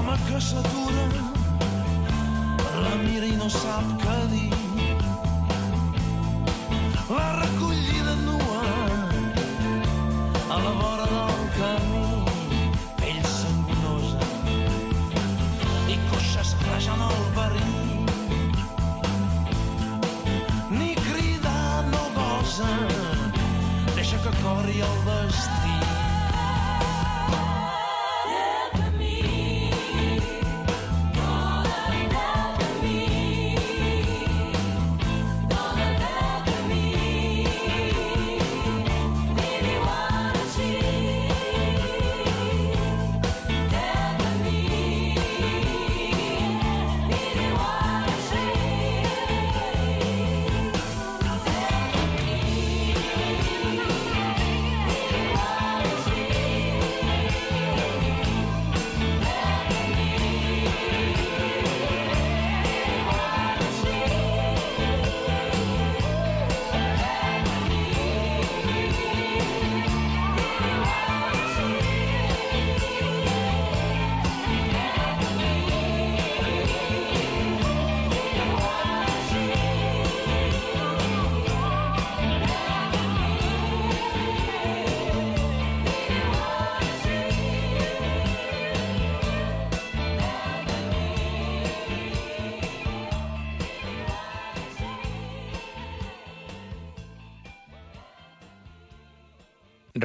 l'home que s'atura la mira i no sap què dir. La recollida nua a la vora del camí, pell sangonosa i coixes rajant el barril. Ni cridar no gosa, deixa que corri el destí.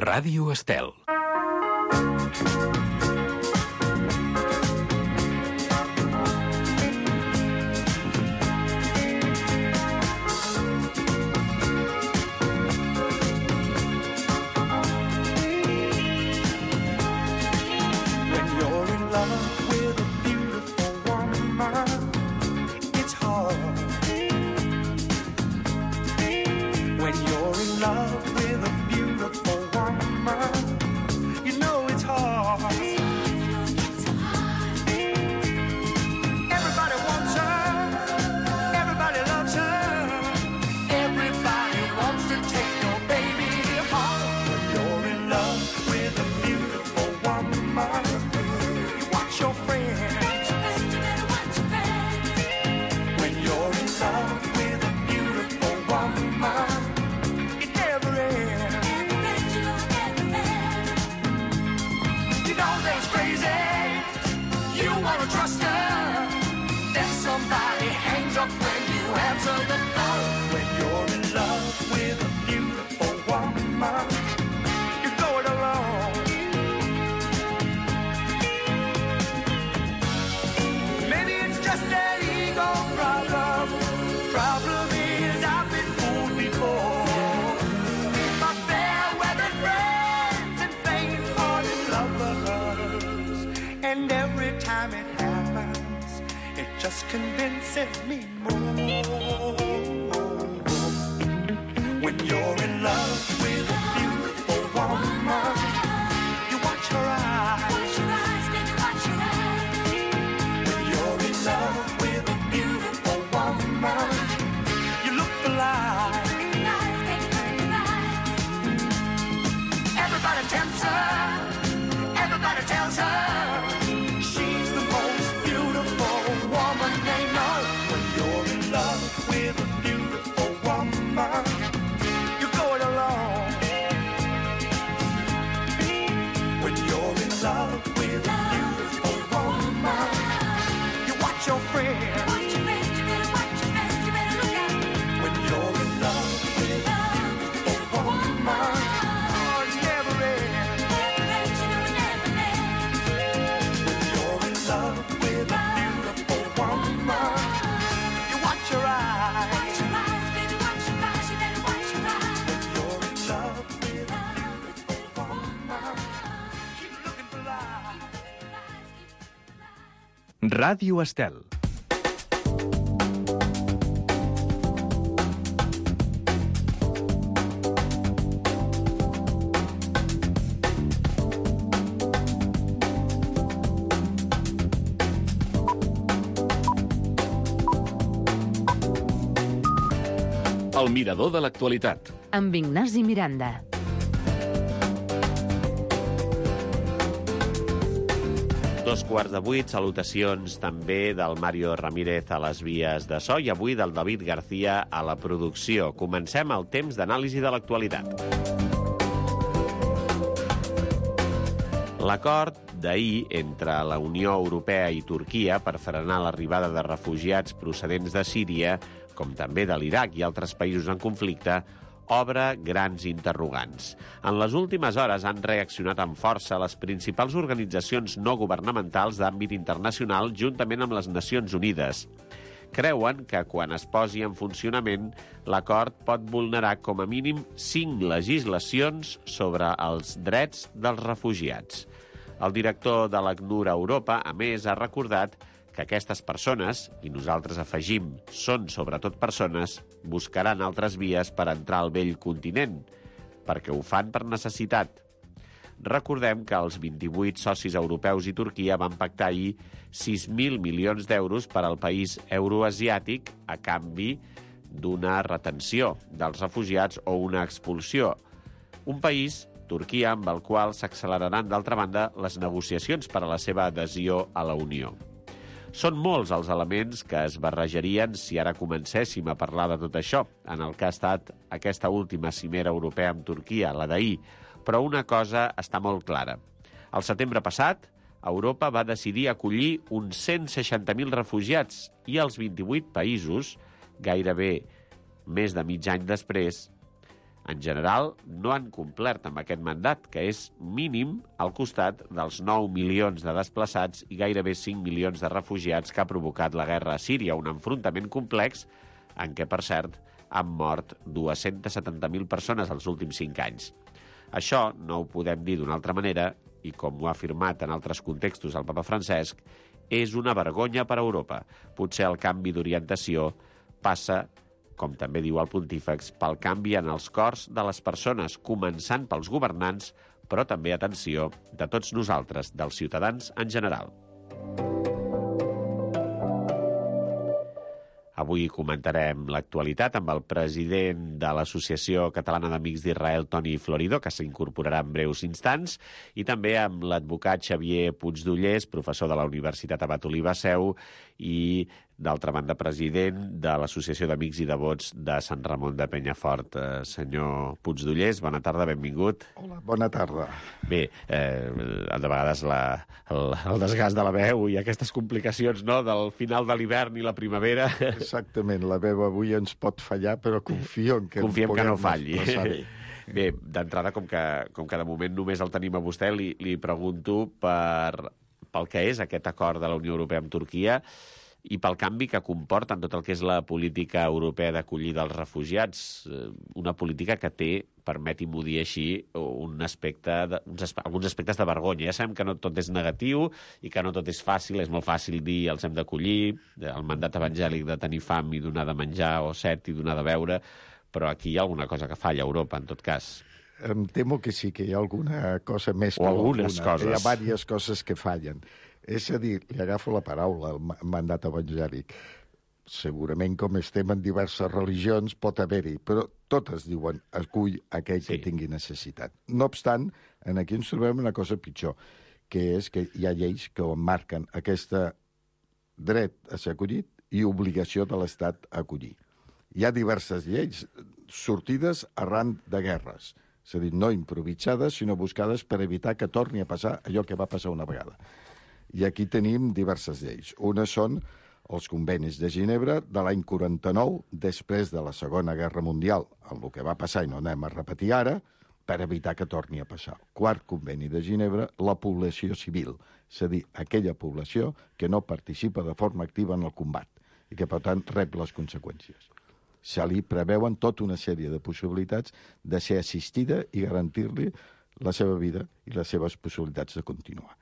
Ràdio Estel. Convinces me more when you're in love with a beautiful woman. You watch her eyes, baby, watch her eyes. When you're in love with a beautiful woman, you look for life. Everybody tempts her, everybody tells her she's the most beautiful woman they know. When you're in love with a beautiful woman, you go it alone. When you're in love with a beautiful woman, you watch your friends. Watch your friends, you better watch your friends, you better look out. When you're in love with a beautiful woman, oh, it never ends. Never ends, you know it never ends. When you're in love with a beautiful woman, you watch your eyes. Watch your eyes, baby, watch your eyes, you better watch your eyes. When you're in love with a beautiful woman, keep looking for life. Ràdio Estel. El mirador de l'actualitat. Amb Ignasi Miranda. 7:45, salutacions també del Mario Ramírez a les vies de so i avui del David García a la producció. Comencem el temps d'anàlisi de l'actualitat. L'acord d'ahir entre la Unió Europea i Turquia per frenar l'arribada de refugiats procedents de Síria, com també de l'Iraq i altres països en conflicte, obre grans interrogants. En les últimes hores han reaccionat amb força les principals organitzacions no governamentals d'àmbit internacional juntament amb les Nacions Unides. Creuen que quan es posi en funcionament, l'acord pot vulnerar com a mínim 5 legislacions sobre els drets dels refugiats. El director de l'ACNUR a Europa, a més, ha recordat que aquestes persones, i nosaltres afegim, són sobretot persones, buscaran altres vies per entrar al vell continent, perquè ho fan per necessitat. Recordem que els 28 socis europeus i Turquia van pactar ahir 6.000 milions d'euros per al país euroasiàtic a canvi d'una retenció dels refugiats o una expulsió. Un país, Turquia, amb el qual s'acceleraran, d'altra banda, les negociacions per a la seva adhesió a la Unió. Són molts els elements que es barrejarien si ara comencéssim a parlar de tot això, en el que ha estat aquesta última cimera europea amb Turquia, la d'ahir. Però una cosa està molt clara. El setembre passat, Europa va decidir acollir uns 160.000 refugiats i els 28 països, gairebé més de mig any després, en general, no han complert amb aquest mandat, que és mínim al costat dels 9 milions de desplaçats i gairebé 5 milions de refugiats que ha provocat la guerra a Síria, un enfrontament complex en què, per cert, han mort 270.000 persones els últims 5 anys. Això no ho podem dir d'una altra manera, i com ho ha afirmat en altres contextos el papa Francesc, és una vergonya per a Europa. Potser el canvi d'orientació passa, com també diu el pontífex, pel canvi en els cors de les persones, començant pels governants, però també, atenció, de tots nosaltres, dels ciutadans en general. Avui comentarem l'actualitat amb el president de l'Associació Catalana d'Amics d'Israel, Toni Florido, que s'incorporarà en breus instants, i també amb l'advocat Xavier Puigdollers, professor de la Universitat Abat Oliba Seu i, d'altra banda, president de l'Associació d'Amics i Devots de Sant Ramon de Penyafort. Senyor Puigdollers, bona tarda, benvingut. Hola, bona tarda. Bé, de vegades el desgast de la veu i aquestes complicacions, no?, del final de l'hivern i la primavera. Exactament, la veu avui ens pot fallar, però confio en que confiem que no falli. Bé. Bé, d'entrada, com que de moment només el tenim a vostè, li pregunto pel que és aquest acord de la Unió Europea amb Turquia i pel canvi que comporta en tot el que és la política europea d'acollida dels refugiats, una política que té, permeti-m'ho dir així, alguns aspectes de vergonya. Ja sabem que no tot és negatiu i que no tot és fàcil, és molt fàcil dir els hem d'acollir, el mandat evangèlic de tenir fam i donar de menjar, o set i donar de beure, però aquí hi ha alguna cosa que falla a Europa, en tot cas. Em temo que sí, que hi ha alguna cosa més que algunes coses. Hi ha diverses coses que fallen. És a dir, li agafo la paraula, el mandat evangèlic. Segurament, com estem en diverses religions, pot haver-hi, però totes diuen acull aquell que tingui necessitat. No obstant, aquí ens trobem una cosa pitjor, que és que hi ha lleis que marquen aquest dret a ser acollit i obligació de l'Estat a acollir. Hi ha diverses lleis sortides arran de guerres, és a dir, no improvisades, sinó buscades per evitar que torni a passar allò que va passar una vegada. I aquí tenim diverses lleis. Una són els convenis de Ginebra de l'any 49, després de la Segona Guerra Mundial, amb el que va passar i no anem a repetir ara, per evitar que torni a passar. Quart conveni de Ginebra, la població civil, és a dir, aquella població que no participa de forma activa en el combat i que, per tant, rep les conseqüències. Se li preveuen tota una sèrie de possibilitats de ser assistida i garantir-li la seva vida i les seves possibilitats de continuar.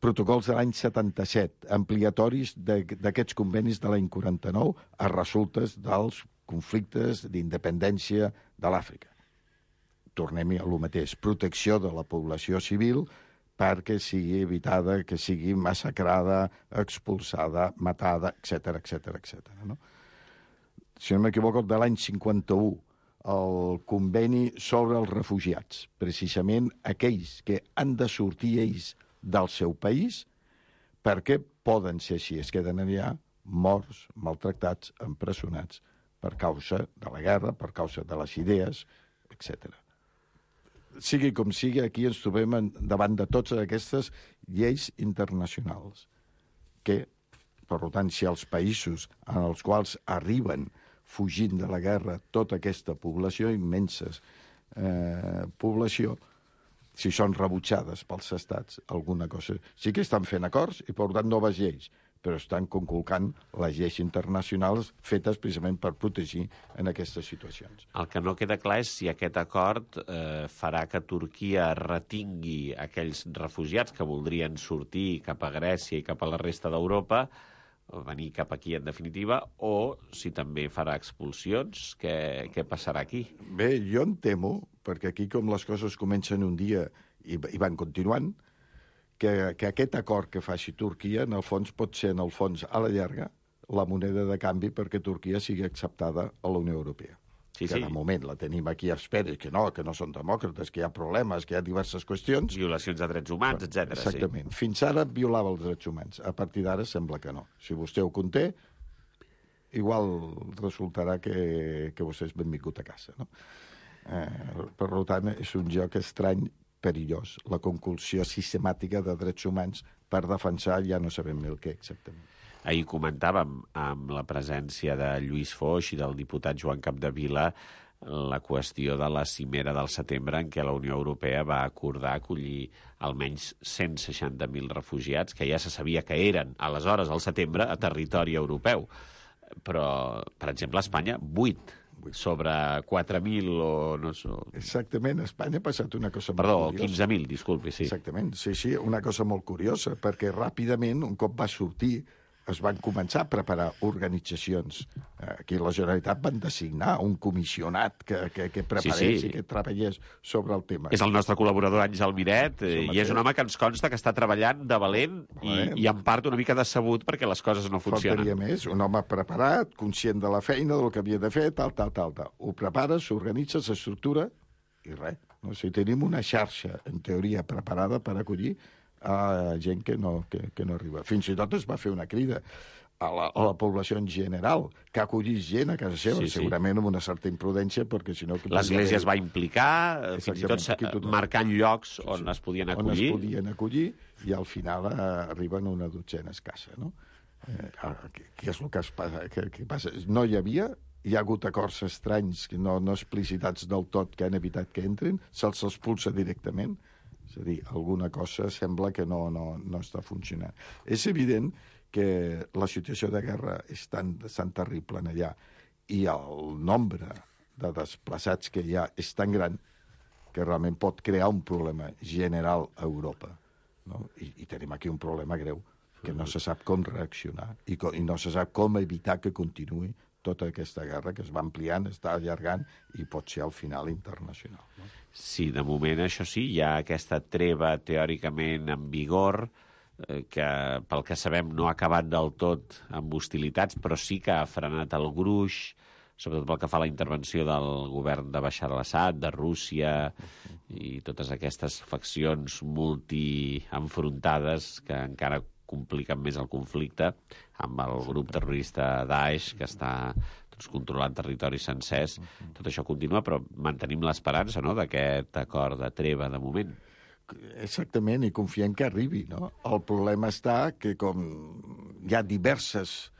Protocols de l'any 77, ampliatoris d'aquests convenis de l'any 49 a resultes dels conflictes d'independència de l'Àfrica. Tornem a lo mateix, protecció de la població civil perquè sigui evitada, que sigui massacrada, expulsada, matada, etc. No? Si no m'equivoco, de l'any 51, el conveni sobre els refugiats, precisament aquells que han de sortir ells del seu país, perquè poden ser així, es queden allà morts, maltractats, empresonats per causa de la guerra, per causa de les idees, etc. Sigui com sigui, aquí ens trobem davant de totes aquestes lleis internacionals que, per tant, si els països en els quals arriben fugint de la guerra tota aquesta població, immensa població, si són rebutjades pels estats, alguna cosa... Sí que estan fent acords i, per tant, noves lleis, però estan conculcant les lleis internacionals fetes precisament per protegir en aquestes situacions. El que no queda clar és si aquest acord farà que Turquia retingui aquells refugiats que voldrien sortir cap a Grècia i cap a la resta d'Europa, venir cap aquí, en definitiva, o si també farà expulsions, què passarà aquí? Bé, jo em temo, perquè aquí com les coses comencen un dia i van continuant, que aquest acord que faci Turquia, en el fons, pot ser, en el fons, a la llarga, la moneda de canvi perquè Turquia sigui acceptada a la Unió Europea. Sí, que sí. de moment la tenim aquí a espera, que no són demòcrates, que hi ha problemes, que hi ha diverses qüestions. Violacions de drets humans, etc. Exactament. Sí. Fins ara violava els drets humans. A partir d'ara sembla que no. Si vostè ho conté, igual resultarà que vostè és benvingut a casa. No? Per tant, és un joc estrany, perillós, la conculsió sistemàtica de drets humans per defensar ja no sabem el què exactament. Ahir comentàvem amb la presència de Lluís Foix i del diputat Joan Capdevila la qüestió de la cimera del setembre en què la Unió Europea va acordar acollir almenys 160.000 refugiats, que ja se sabia que eren, aleshores, al setembre, a territori europeu. Però, per exemple, a Espanya, 8 sobre 4.000 o no sé... Exactament, a Espanya ha passat una cosa molt Perdó, curiosa. 15.000, disculpi, sí. Exactament, sí, una cosa molt curiosa, perquè ràpidament, un cop va sortir, es van començar a preparar organitzacions. Aquí a la Generalitat van designar un comissionat que preparés i que treballés sobre el tema. És el nostre col·laborador Àngel Miret, i és un home que ens consta que està treballant de valent i en part una mica decebut perquè les coses no funcionen. Faltaria més, un home preparat, conscient de la feina, del que havia de fer, tal. Ho prepara, s'organitza, s'estructura i res. No? O sigui, tenim una xarxa, en teoria, preparada per acollir a gent que no arriba. Fins i tot es va fer una crida a la població en general, que acollís gent a casa seva, segurament amb una certa imprudència, perquè si no... L'Església es va implicar, fins i tot marcant llocs on es podien acollir. On es podien acollir, i al final arriben una dotzena escassa, no? Què és el que passa? No hi ha hagut acords estranys, no explicitats del tot, que han evitat que entrin, se'ls expulsa directament. És a dir, alguna cosa sembla que no està funcionant. És evident que la situació de guerra és tan terrible allà i el nombre de desplaçats que hi ha és tan gran que realment pot crear un problema general a Europa. No? I tenim aquí un problema greu, que no se sap com reaccionar i no se sap com evitar que continuï tota aquesta guerra que es va ampliant, està allargant i pot ser al final internacional. No? Sí, de moment, això sí, hi ha aquesta treva teòricament en vigor, que pel que sabem no ha acabat del tot amb hostilitats, però sí que ha frenat el gruix, sobretot pel que fa a la intervenció del govern de Bashar al-Assad, de Rússia, i totes aquestes faccions multi-enfrontades que encara compliquen més el conflicte amb el grup terrorista Daesh, que està controlant territoris sencers. Tot això continua, però mantenim l'esperança, no?, d'aquest acord de treva de moment. Exactament, i confiem que arribi, no? El problema està que com hi ha diversos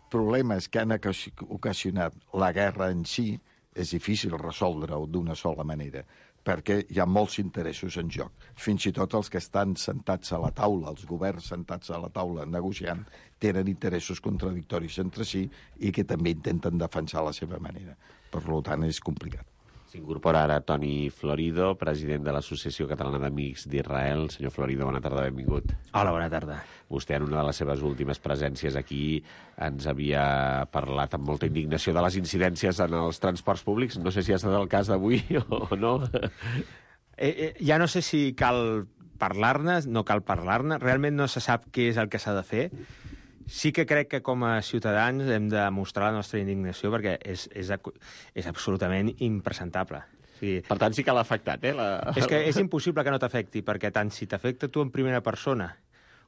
problemes que han ocasionat la guerra en si, és difícil resoldre-ho d'una sola manera, perquè hi ha molts interessos en joc. Fins i tot els que estan sentats a la taula, els governs sentats a la taula negociant, tenen interessos contradictoris entre si i que també intenten defensar la seva manera. Per tant, és complicat. S'incorpora ara Toni Florido, president de l'Associació Catalana d'Amics d'Israel. Senyor Florido, bona tarda, benvingut. Hola, bona tarda. Vostè, en una de les seves últimes presències aquí, ens havia parlat amb molta indignació de les incidències en els transports públics. No sé si ha estat el cas d'avui o no. Ja no sé si cal parlar-ne, no cal parlar-ne. Realment no se sap què és el que s'ha de fer. Sí que crec que com a ciutadans hem de mostrar la nostra indignació perquè és absolutament impresentable. Sí. Per tant, sí que l'ha afectat, És que és impossible que no t'afecti, perquè tant si t'afecta tu en primera persona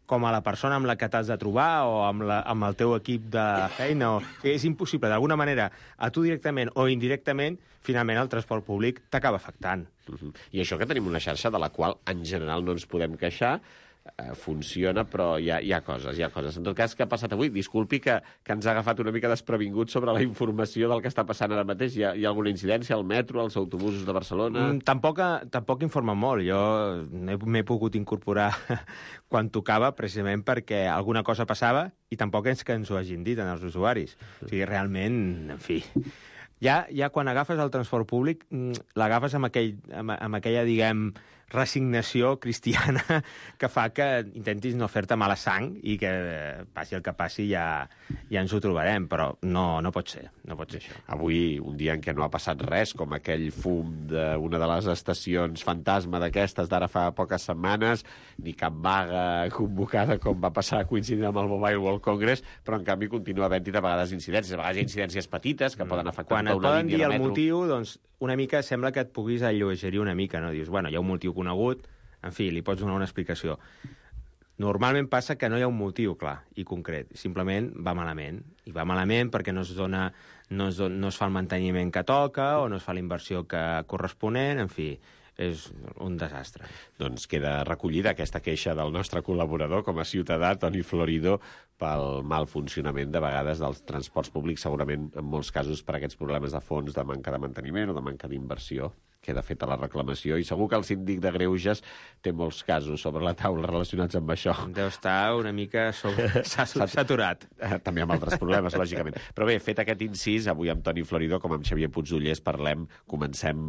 com a la persona amb la que t'has de trobar o amb el teu equip de feina. És impossible, d'alguna manera, a tu directament o indirectament, finalment el transport públic t'acaba afectant. I això que tenim una xarxa de la qual, en general, no ens podem queixar, funciona, però hi ha coses. En tot cas, què ha passat avui? Disculpi que ens ha agafat una mica desprevingut sobre la informació del que està passant ara mateix. Hi ha alguna incidència al metro, als autobusos de Barcelona? Tampoc informa molt. Jo m'he pogut incorporar quan tocava, precisament perquè alguna cosa passava i tampoc és que ens ho hagin dit als usuaris. O sigui, realment, en fi... Ja quan agafes el transport públic, l'agafes amb aquella, diguem, resignació cristiana que fa que intentis no fer-te mala sang i que passi el que passi ja ens ho trobarem, però no pot ser això. Avui, un dia en què no ha passat res, com aquell fum d'una de les estacions fantasma d'aquestes d'ara fa poques setmanes, ni cap vaga convocada com va passar coincidint amb el Mobile World Congress, però en canvi continua havent-hi de vegades incidències. A vegades hi ha incidències petites que poden afectar quan et poden dir el motiu, doncs una mica sembla que et puguis alleugerir una mica, no? Dius, bueno, hi ha un motiu conegut, en fi, li pots donar una explicació. Normalment passa que no hi ha un motiu clar i concret, simplement va malament. I va malament perquè no es fa el manteniment que toca o no es fa la inversió corresponent, en fi, és un desastre. Doncs queda recollida aquesta queixa del nostre col·laborador com a ciutadà, Toni Florido, pel mal funcionament de vegades dels transports públics, segurament en molts casos per aquests problemes de fons, de manca de manteniment o de manca d'inversió. Queda feta la reclamació i segur que el síndic de Greuges té molts casos sobre la taula relacionats amb això. Deu estar una mica saturat. També amb altres problemes, lògicament. Però bé, fet aquest incís, avui amb Toni Florido, com amb Xavier Puigdollers, comencem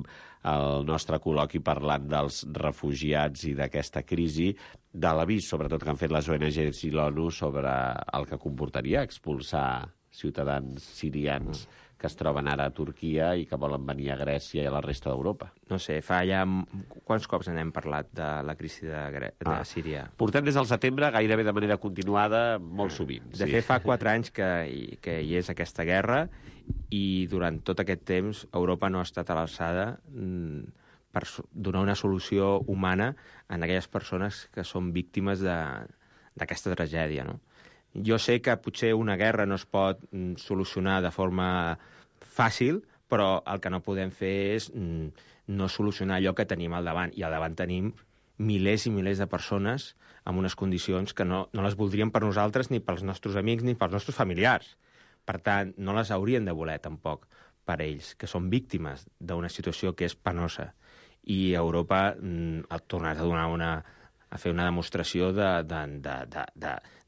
el nostre col·loqui parlant dels refugiats i d'aquesta crisi, de l'avís, sobretot, que han fet les ONGs i l'ONU sobre el que comportaria expulsar ciutadans sirians que es troben ara a Turquia i que volen venir a Grècia i a la resta d'Europa. No sé, fa ja... Quants cops n'hem parlat de la crisi de Síria? Portem des del setembre, gairebé de manera continuada, molt sovint. De fet, fa 4 anys que hi és aquesta guerra i durant tot aquest temps Europa no ha estat a l'alçada per donar una solució humana a aquelles persones que són víctimes d'aquesta tragèdia, no? Jo sé que potser una guerra no es pot solucionar de forma fàcil, però el que no podem fer és no solucionar allò que tenim al davant. I al davant tenim milers i milers de persones amb unes condicions que no les voldríem per nosaltres, ni pels nostres amics, ni pels nostres familiars. Per tant, no les haurien de voler, tampoc, per ells, que són víctimes d'una situació que és penosa. I Europa ha tornat a donar a fer una demostració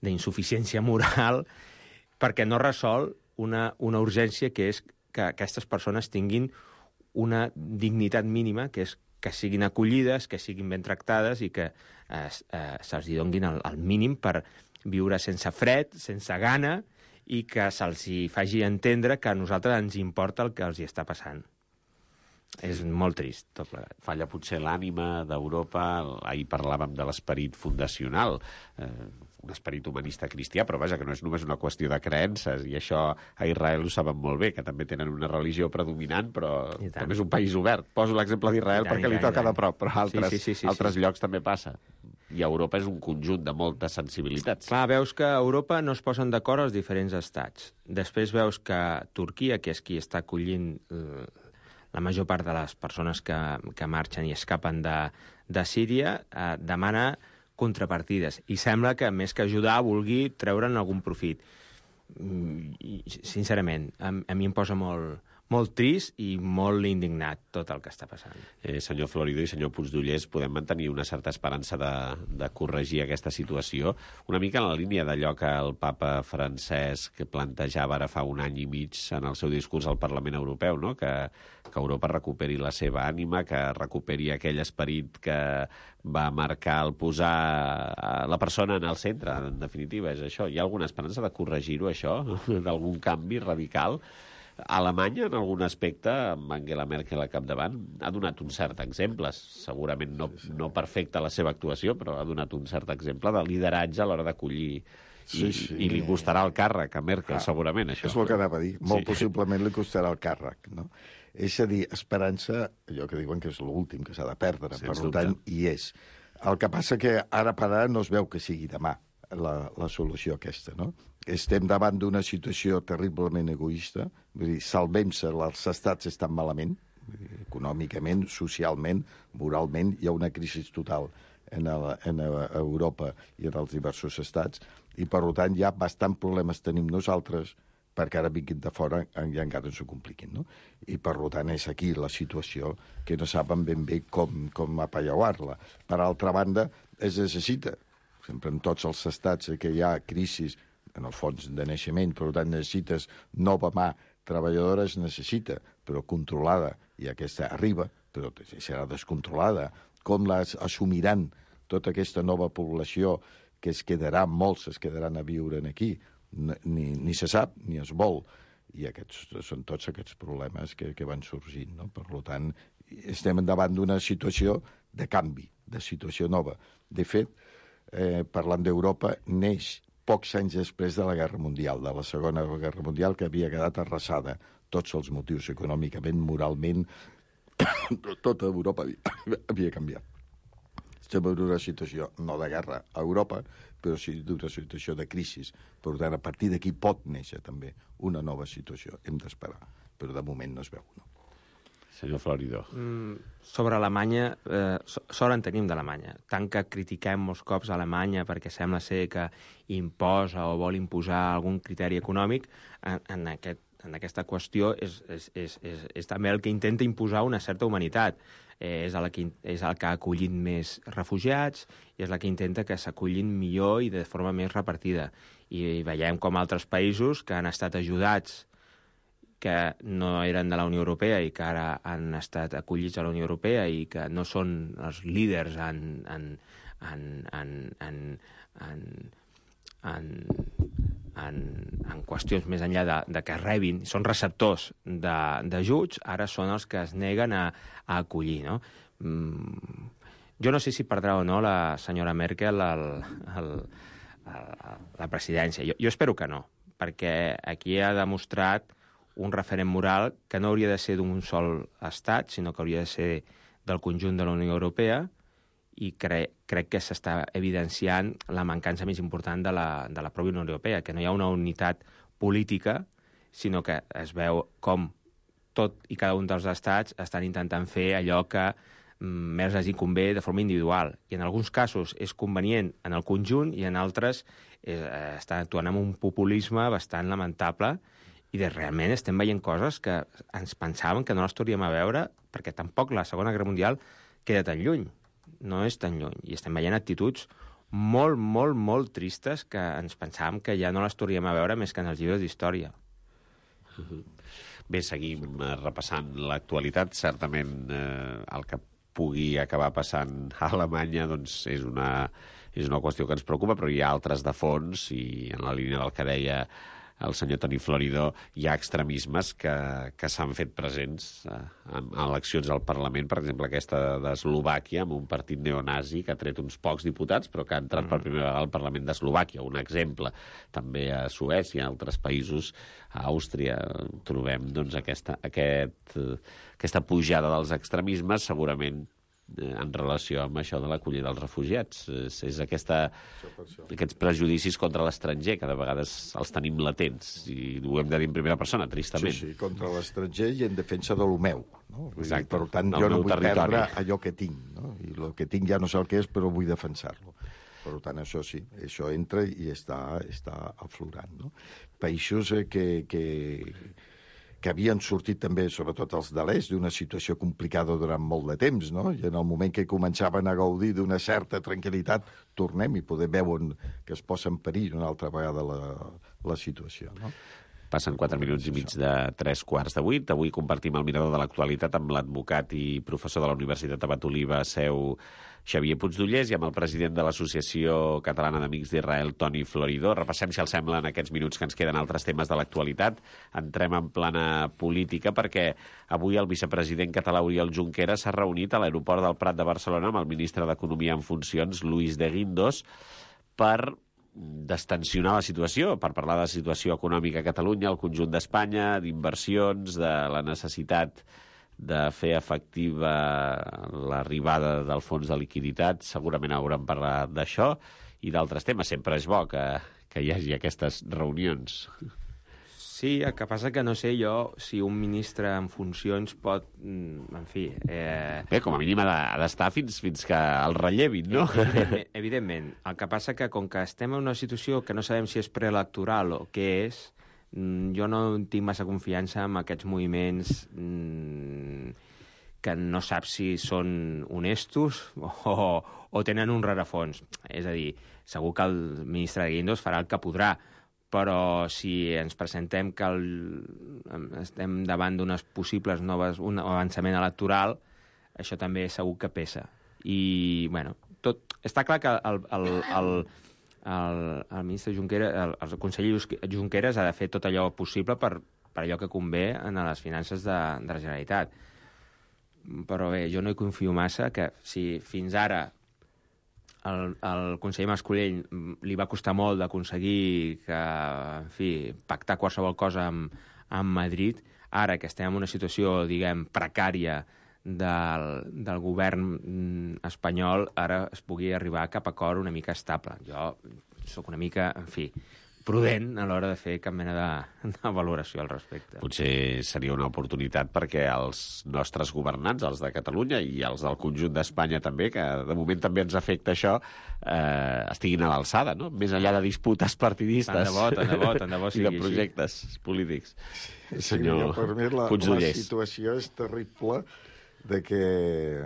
d'insuficiència moral perquè no resol una urgència que és que aquestes persones tinguin una dignitat mínima, que és que siguin acollides, que siguin ben tractades i que se'ls donin el mínim per viure sense fred, sense gana i que se'ls faci entendre que a nosaltres ens importa el que els hi està passant. És molt trist, tot plegat. Falla potser l'ànima d'Europa. Ahir parlàvem de l'esperit fundacional, un esperit humanista cristià, però vaja, que no és només una qüestió de creences, i això a Israel ho saben molt bé, que també tenen una religió predominant, però també és un país obert. Poso l'exemple d'Israel perquè li toca de prop, però altres llocs també passa. I Europa és un conjunt de moltes sensibilitats. Clar, veus que a Europa no es posen d'acord els diferents estats. Després veus que Turquia, que és qui està acollint la major part de les persones que marxen i escapen de Síria, demana contrapartides. I sembla que, més que ajudar, vulgui treure'n algun profit. Sincerament, a mi em posa molt trist i molt indignat tot el que està passant. Senyor Florido i senyor Puigdollers, podem mantenir una certa esperança de corregir aquesta situació? Una mica en la línia d'allò que el papa Francesc plantejava ara fa 1 any i mig en el seu discurs al Parlament Europeu, no? Que Europa recuperi la seva ànima, que recuperi aquell esperit que va marcar el posar la persona en el centre, en definitiva, és això. Hi ha alguna esperança de corregir-ho, això? D'algun canvi radical? Alemanya, en algun aspecte, amb Angela Merkel al capdavant, ha donat un cert exemple, segurament no perfecta la seva actuació, però ha donat un cert exemple de lideratge a l'hora d'acollir. I li costarà el càrrec a Merkel, segurament, això. És el que anava a dir. Molt possiblement li costarà el càrrec, no? És a dir, esperança, allò que diuen que és l'últim que s'ha de perdre, Sens per dubte. tant, hi és. El que passa que ara per ara no es veu que sigui demà la solució aquesta, no? Estem davant d'una situació terriblement egoista, vull dir, salvem-se, els estats estan malament, econòmicament, socialment, moralment, hi ha una crisi total en Europa i en els diversos estats, i per tant ja bastant problemes tenim nosaltres perquè ara vinguin de fora i encara ens ho compliquin, no? I per tant és aquí la situació que no saben ben bé com apallauar-la. Per altra banda, es necessita, sempre en tots els estats que hi ha crisis en el fons de naixement, per tant necessites nova mà treballadora, es necessita, però controlada, i aquesta arriba, però serà descontrolada. Com assumiran tota aquesta nova població que es quedarà, molts es quedaran a viure aquí, ni se sap ni es vol, i aquests són tots aquests problemes que van sorgint, no? Per tant, estem davant d'una situació de canvi, de situació nova. De fet, parlant d'Europa, neix pocs anys després de la Guerra Mundial, de la Segona Guerra Mundial, que havia quedat arrasada. Tots els motius, econòmicament, moralment, tota Europa havia canviat. Estem en una situació, no de guerra a Europa, però sí d'una situació de crisi. Per tant, a partir d'aquí pot néixer també una nova situació. Hem d'esperar, però de moment no es veu, no? Senyor Floridó. Sobre Alemanya, sort en tenim d'Alemanya. Tant que critiquem molts cops a Alemanya perquè sembla ser que imposa o vol imposar algun criteri econòmic, en aquesta qüestió és també el que intenta imposar una certa humanitat. És el que ha acollit més refugiats i és la que intenta que s'acollin millor i de forma més repartida. I veiem com altres països que han estat ajudats, que no eren de la Unió Europea i que ara han estat acollits a la Unió Europea i que no són els líders en qüestions més enllà de que rebin, són receptors d'ajuts, ara són els que es neguen a acollir, no? Jo no sé si perdrà o no la senyora Merkel la presidència. Jo espero que no, perquè aquí ha demostrat un referent moral que no hauria de ser d'un sol estat, sinó que hauria de ser del conjunt de la Unió Europea, i crec que s'està evidenciant la mancança més important de la pròpia Unió Europea, que no hi ha una unitat política, sinó que es veu com tot i cada un dels estats estan intentant fer allò que més els hi convé de forma individual. I en alguns casos és convenient en el conjunt i en altres estan actuant amb un populisme bastant lamentable i realment estem veient coses que ens pensàvem que no les tornaríem a veure perquè tampoc la Segona Guerra Mundial queda tan lluny. No és tan lluny. I estem veient actituds molt, molt, molt tristes que ens pensàvem que ja no les tornaríem a veure més que en els llibres d'història. Bé, seguim repassant l'actualitat. Certament el que pugui acabar passant a Alemanya doncs, és una qüestió que ens preocupa, però hi ha altres de fons i en la línia del que deia el senyor Toni Floridó, hi ha extremismes que s'han fet presents en eleccions al Parlament, per exemple aquesta d'Eslovàquia, amb un partit neonazi que ha tret uns pocs diputats, però que ha entrat per primera vegada al Parlament d'Eslovàquia. Un exemple. També a Suècia, a altres països, a Àustria, trobem doncs, aquesta pujada dels extremismes, segurament en relació amb això de l'acollida dels refugiats. És aquests prejudicis contra l'estranger, que de vegades els tenim latents, i ho hem de dir en primera persona, tristament. Sí, contra l'estranger i en defensa de lo meu. No? Exacte. Per tant, jo no vull perdre allò que tinc. No? I el que tinc ja no sé el que és, però vull defensar-lo. Per tant, això sí, això entra i està aflorant. No? Països que havien sortit també, sobretot els de l'est, d'una situació complicada durant molt de temps, no? I en el moment que començaven a gaudir d'una certa tranquil·litat, tornem i poder veure que es posa en perill una altra vegada la situació, no? Passen 4 minuts i mig de 3:45. Avui compartim el mirador de l'actualitat amb l'advocat i professor de la Universitat Abat Oliba, Seu, Xavier Puigdollers, i amb el president de l'Associació Catalana d'Amics d'Israel, Toni Floridó. Repassem, si els sembla, en aquests minuts que ens queden altres temes de l'actualitat. Entrem en plana política perquè avui el vicepresident català Oriol Junqueras s'ha reunit a l'aeroport del Prat de Barcelona amb el ministre d'Economia en funcions, Luis de Guindos, per destensionar la situació, per parlar de la situació econòmica a Catalunya, al conjunt d'Espanya, d'inversions, de la necessitat de fer efectiva l'arribada del fons de liquiditat. Segurament haurem parlat d'això i d'altres temes. Sempre és bo que hi hagi aquestes reunions. Sí, el que passa que no sé jo si un ministre en funcions pot... En fi... Bé, com a mínim ha d'estar fins que el rellevin, no? Evidentment. El que passa que com que estem en una situació que no sabem si és preelectoral o què és, jo no tinc massa confiança en aquests moviments que no saps si són honestos o tenen un rerefons. És a dir, segur que el ministre de Guindos farà el que podrà, però si ens presentem que estem davant d'unes possibles noves, un avançament electoral, això també segur que pesa. I, bueno, està clar que el ministre Junqueras, el conseller Junqueras ha de fer tot allò possible per allò que convé en les finances de la Generalitat. Però bé, jo no hi confio massa que si fins ara el conseller Mascolell li va costar molt d'aconseguir que, en fi, pactar qualsevol cosa amb Madrid, ara que estem en una situació, diguem, precària del govern espanyol, ara es pugui arribar cap a acord una mica estable. Jo sóc una mica, en fi, prudent a l'hora de fer cap mena de valoració al respecte. Potser seria una oportunitat perquè els nostres governants, els de Catalunya i els del conjunt d'Espanya també, que de moment també ens afecta això, estiguin a l'alçada, no? Més enllà de disputes partidistes tant de bo i de projectes polítics. Senyor per mi la Puigdollers. situació és terrible de que,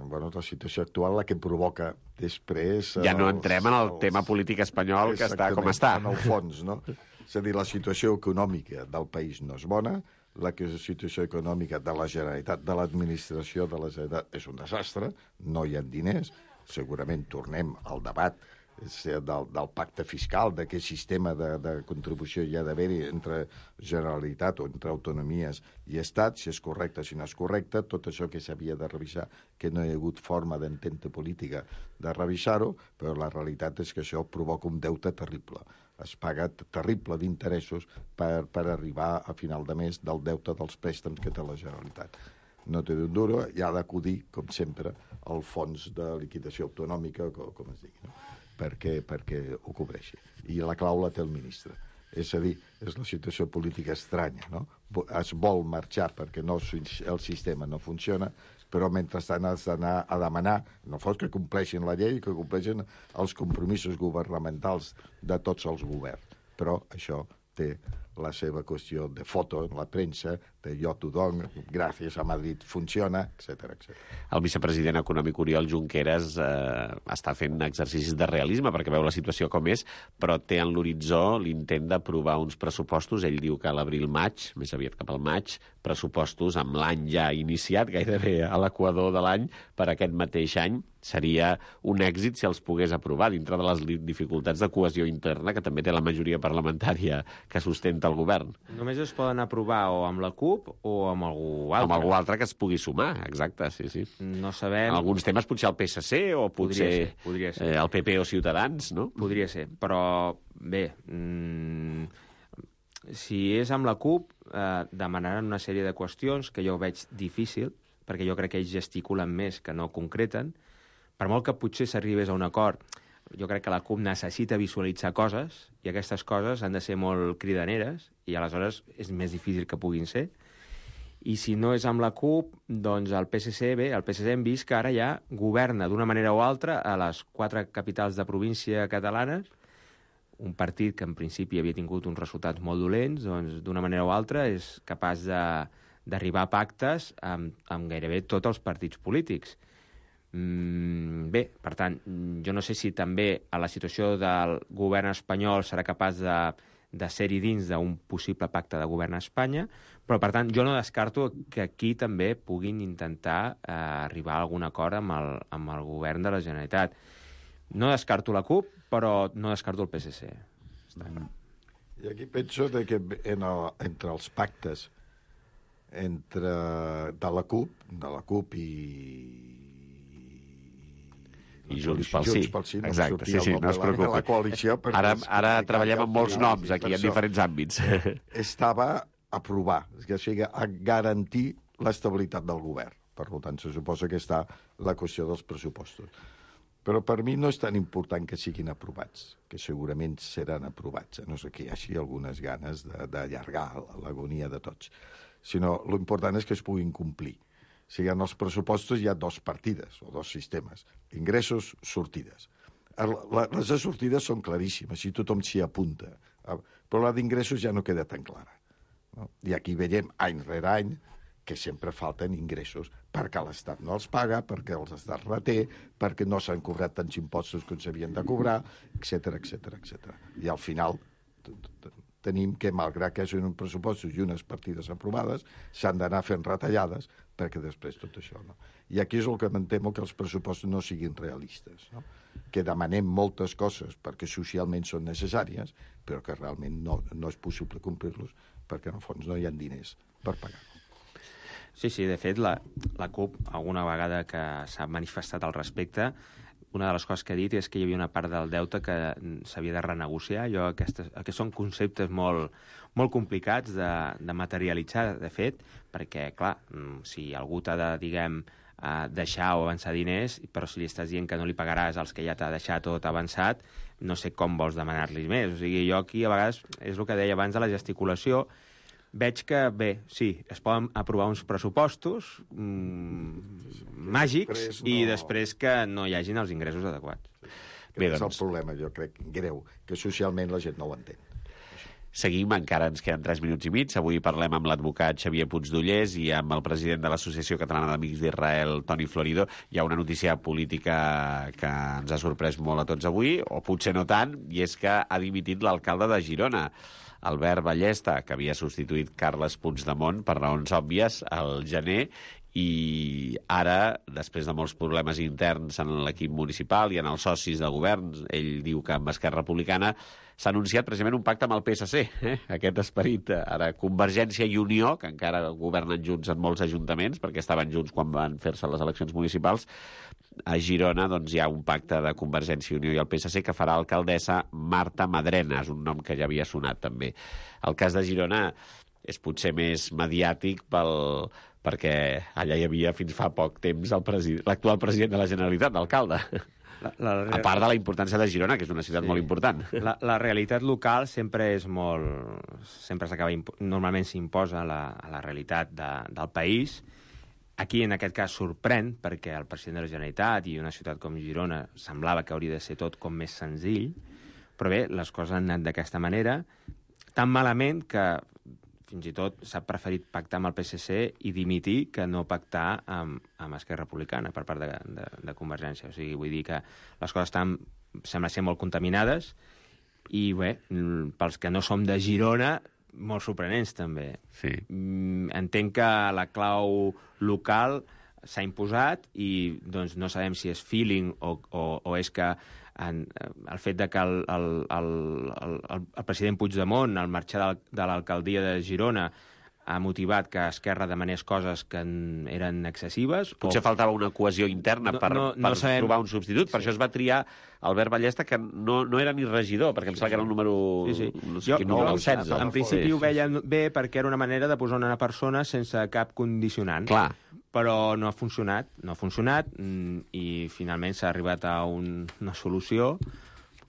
bueno, la situació actual la que provoca després... Ja no entrem en el tema polític espanyol, que està com està. En el fons, no? És a dir, la situació econòmica del país no és bona, la situació econòmica de la Generalitat, de l'administració de la Generalitat, és un desastre, no hi ha diners, segurament tornem al debat del pacte fiscal, de què sistema de contribució hi ha d'haver-hi entre Generalitat o entre autonomies i Estat, si és correcte, si no és correcte, tot això que s'havia de revisar, que no hi ha hagut forma d'entente política de revisar-ho, però la realitat és que això provoca un deute terrible. Es paga terrible d'interessos per arribar a final de mes del deute dels préstecs que té la Generalitat. No té d'un duro, i ha d'acudir, com sempre, al fons de liquidació autonòmica, com es digui, no? perquè ho cobreixi. I la clau la té el ministre. És a dir, és la situació política estranya, no? Es vol marxar perquè el sistema no funciona, però mentrestant has d'anar a demanar, no fos que compleixin la llei, que compleixin els compromisos governamentals de tots els governs. Però això té la seva qüestió de foto en la premsa, de jo t'ho dono, gràcies a Madrid funciona, etc. El vicepresident econòmic Oriol Junqueras està fent exercicis de realisme perquè veu la situació com és, però té en l'horitzó l'intent d'aprovar uns pressupostos. Ell diu que a l'abril-maig, més aviat cap al maig, pressupostos amb l'any ja iniciat, gairebé a l'equador de l'any, per aquest mateix any. Seria un èxit si els pogués aprovar dintre de les dificultats de cohesió interna que també té la majoria parlamentària que sustenta el govern. Només es poden aprovar o amb la CUP o amb algú altre. Amb algú altre que es pugui sumar, exacte, sí. No sabem... En alguns temes potser el PSC o potser podria ser. El PP o Ciutadans, no? Podria ser, però bé, si és amb la CUP, demanaran una sèrie de qüestions que jo veig difícil, perquè jo crec que ells gesticulen més que no concreten. Per molt que potser s'arribés a un acord, jo crec que la CUP necessita visualitzar coses i aquestes coses han de ser molt cridaneres i aleshores és més difícil que puguin ser. I si no és amb la CUP, doncs el PSC hem vist que ara ja governa d'una manera o altra a les 4 capitals de província catalanes, un partit que en principi havia tingut uns resultats molt dolents, doncs d'una manera o altra és capaç d'arribar a pactes amb gairebé tots els partits polítics. Bé, per tant, jo no sé si també a la situació del govern espanyol serà capaç de ser-hi dins d'un possible pacte de govern a Espanya, però, per tant, jo no descarto que aquí també puguin intentar arribar a algun acord amb el govern de la Generalitat. No descarto la CUP, però no descarto el PSC. I aquí penso que entre els pactes de la CUP i I Junts pel Sí. No Exacte, sí, no es preocupi. La coalició, Ara treballem amb molts noms aquí, en diferents àmbits. Estava a aprovar, o sigui, a garantir l'estabilitat del govern. Per tant, se suposa que està la qüestió dels pressupostos. Però per mi no és tan important que siguin aprovats, que segurament seran aprovats, a no sé que hi hagi algunes ganes d'allargar l'agonia de tots, sinó l'important és que es puguin complir. O sigui, en els pressupostos hi ha dos partides, o dos sistemes, ingressos, sortides. Les de sortides són claríssimes, i tothom s'hi apunta, però la d'ingressos ja no queda tan clara. No? I aquí veiem, any rere any, que sempre falten ingressos, perquè l'Estat no els paga, perquè els Estat reté, perquè no s'han cobrat tants impostos com s'havien de cobrar, etc etc. I al final tenim que, malgrat que són uns pressupostos i unes partides aprovades, s'han d'anar fent retallades perquè després tot això, no? I aquí és el que em temo, que els pressupostos no siguin realistes, no? Que demanem moltes coses perquè socialment són necessàries, però que realment no és possible complir-los perquè en el fons no hi ha diners per pagar-los. Sí, de fet, la CUP, alguna vegada que s'ha manifestat al respecte, una de les coses que ha dit és que hi havia una part del deute que s'havia de renegociar. Aquests són conceptes molt complicats de materialitzar, de fet, perquè, clar, si algú t'ha de, deixar o avançar diners, però si li estàs dient que no li pagaràs als que ja t'ha deixat o t'ha avançat, no sé com vols demanar-li més. O sigui, jo aquí, a vegades, és el que deia abans de la gesticulació, veig que, bé, sí, es poden aprovar uns pressupostos màgics i després que no hi hagin els ingressos adequats. Bé, és el problema, jo crec, greu, que socialment la gent no ho entén. Seguim, encara ens queden 3 minuts i mig. Avui parlem amb l'advocat Xavier Puigdollers i amb el president de l'Associació Catalana d'Amics d'Israel, Toni Florido. Hi ha una notícia política que ens ha sorprès molt a tots avui, o potser no tant, i és que ha dimitit l'alcalde de Girona, Albert Ballesta, que havia substituït Carles Puigdemont per raons òbvies al gener, i ara, després de molts problemes interns en l'equip municipal i en els socis de govern, ell diu que amb Esquerra Republicana s'ha anunciat precisament un pacte amb el PSC, aquest esperit. Ara, Convergència i Unió, que encara governen junts en molts ajuntaments, perquè estaven junts quan van fer-se les eleccions municipals, a Girona doncs, hi ha un pacte de Convergència i Unió i el PSC que farà alcaldessa Marta Madrena, és un nom que ja havia sonat també. El cas de Girona és potser més mediàtic perquè allà hi havia fins fa poc temps l'actual president de la Generalitat, l'alcalde. A part de la importància de Girona, que és una ciutat molt important. La realitat local sempre és sempre s'acaba... Normalment s'imposa a la realitat del país. Aquí, en aquest cas, sorprèn, perquè el president de la Generalitat i una ciutat com Girona semblava que hauria de ser tot com més senzill, però bé, les coses han anat d'aquesta manera, tan malament que fins i tot s'ha preferit pactar amb el PSC i dimitir que no pactar amb Esquerra Republicana per part de Convergència. O sigui, vull dir que les coses sembla ser molt contaminades i, bé, pels que no som de Girona, molt sorprenents, també. Sí. Entenc que la clau local s'ha imposat i doncs, no sabem si és feeling o és que el fet de que el president Puigdemont, al marxar de l'alcaldia de Girona, ha motivat que Esquerra demanés coses que eren excessives. Potser faltava una cohesió interna per trobar un substitut. Per això es va triar Albert Ballesta, que no era ni regidor, perquè em sembla que era el número 16. En principi ho veia bé perquè era una manera de posar una persona sense cap condicionant. Clar. Però no ha funcionat i finalment s'ha arribat a una solució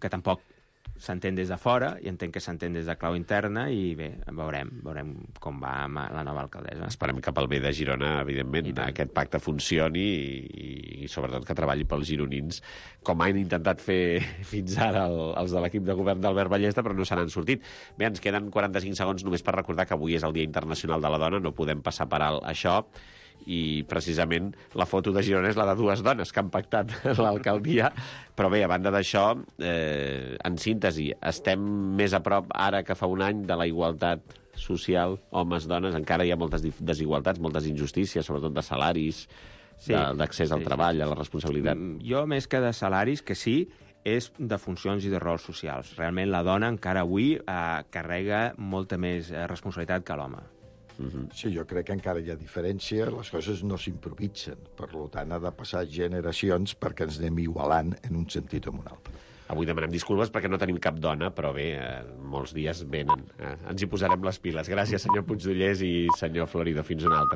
que tampoc s'entén des de fora i entenc que s'entén des de clau interna i bé, veurem com va amb la nova alcaldessa. Esperem que pel bé de Girona, evidentment, aquest pacte funcioni i sobretot que treballi pels gironins, com han intentat fer fins ara els de l'equip de govern d'Albert Ballesta, però no se n'han sortit. Bé, ens queden 45 segons només per recordar que avui és el Dia Internacional de la Dona, no podem passar per alt això, i precisament la foto de Girona és la de dues dones que han pactat l'alcaldia, però bé, a banda d'això, en síntesi, estem més a prop ara que fa un any de la igualtat social, homes-dones, encara hi ha moltes desigualtats, moltes injustícies, sobretot de salaris, d'accés al treball, a la responsabilitat. Jo, més que de salaris, que sí, és de funcions i de rols socials. Realment la dona encara avui carrega molta més responsabilitat que l'home. Sí, jo crec que encara hi ha diferència, les coses no s'improvisen, per tant ha de passar generacions perquè ens anem igualant en un sentit o en un altre. Avui demanem disculpes perquè no tenim cap dona, però bé, molts dies venen. Ens hi posarem les piles. Gràcies, senyor Puigdollers i senyor Florido. Fins una altra.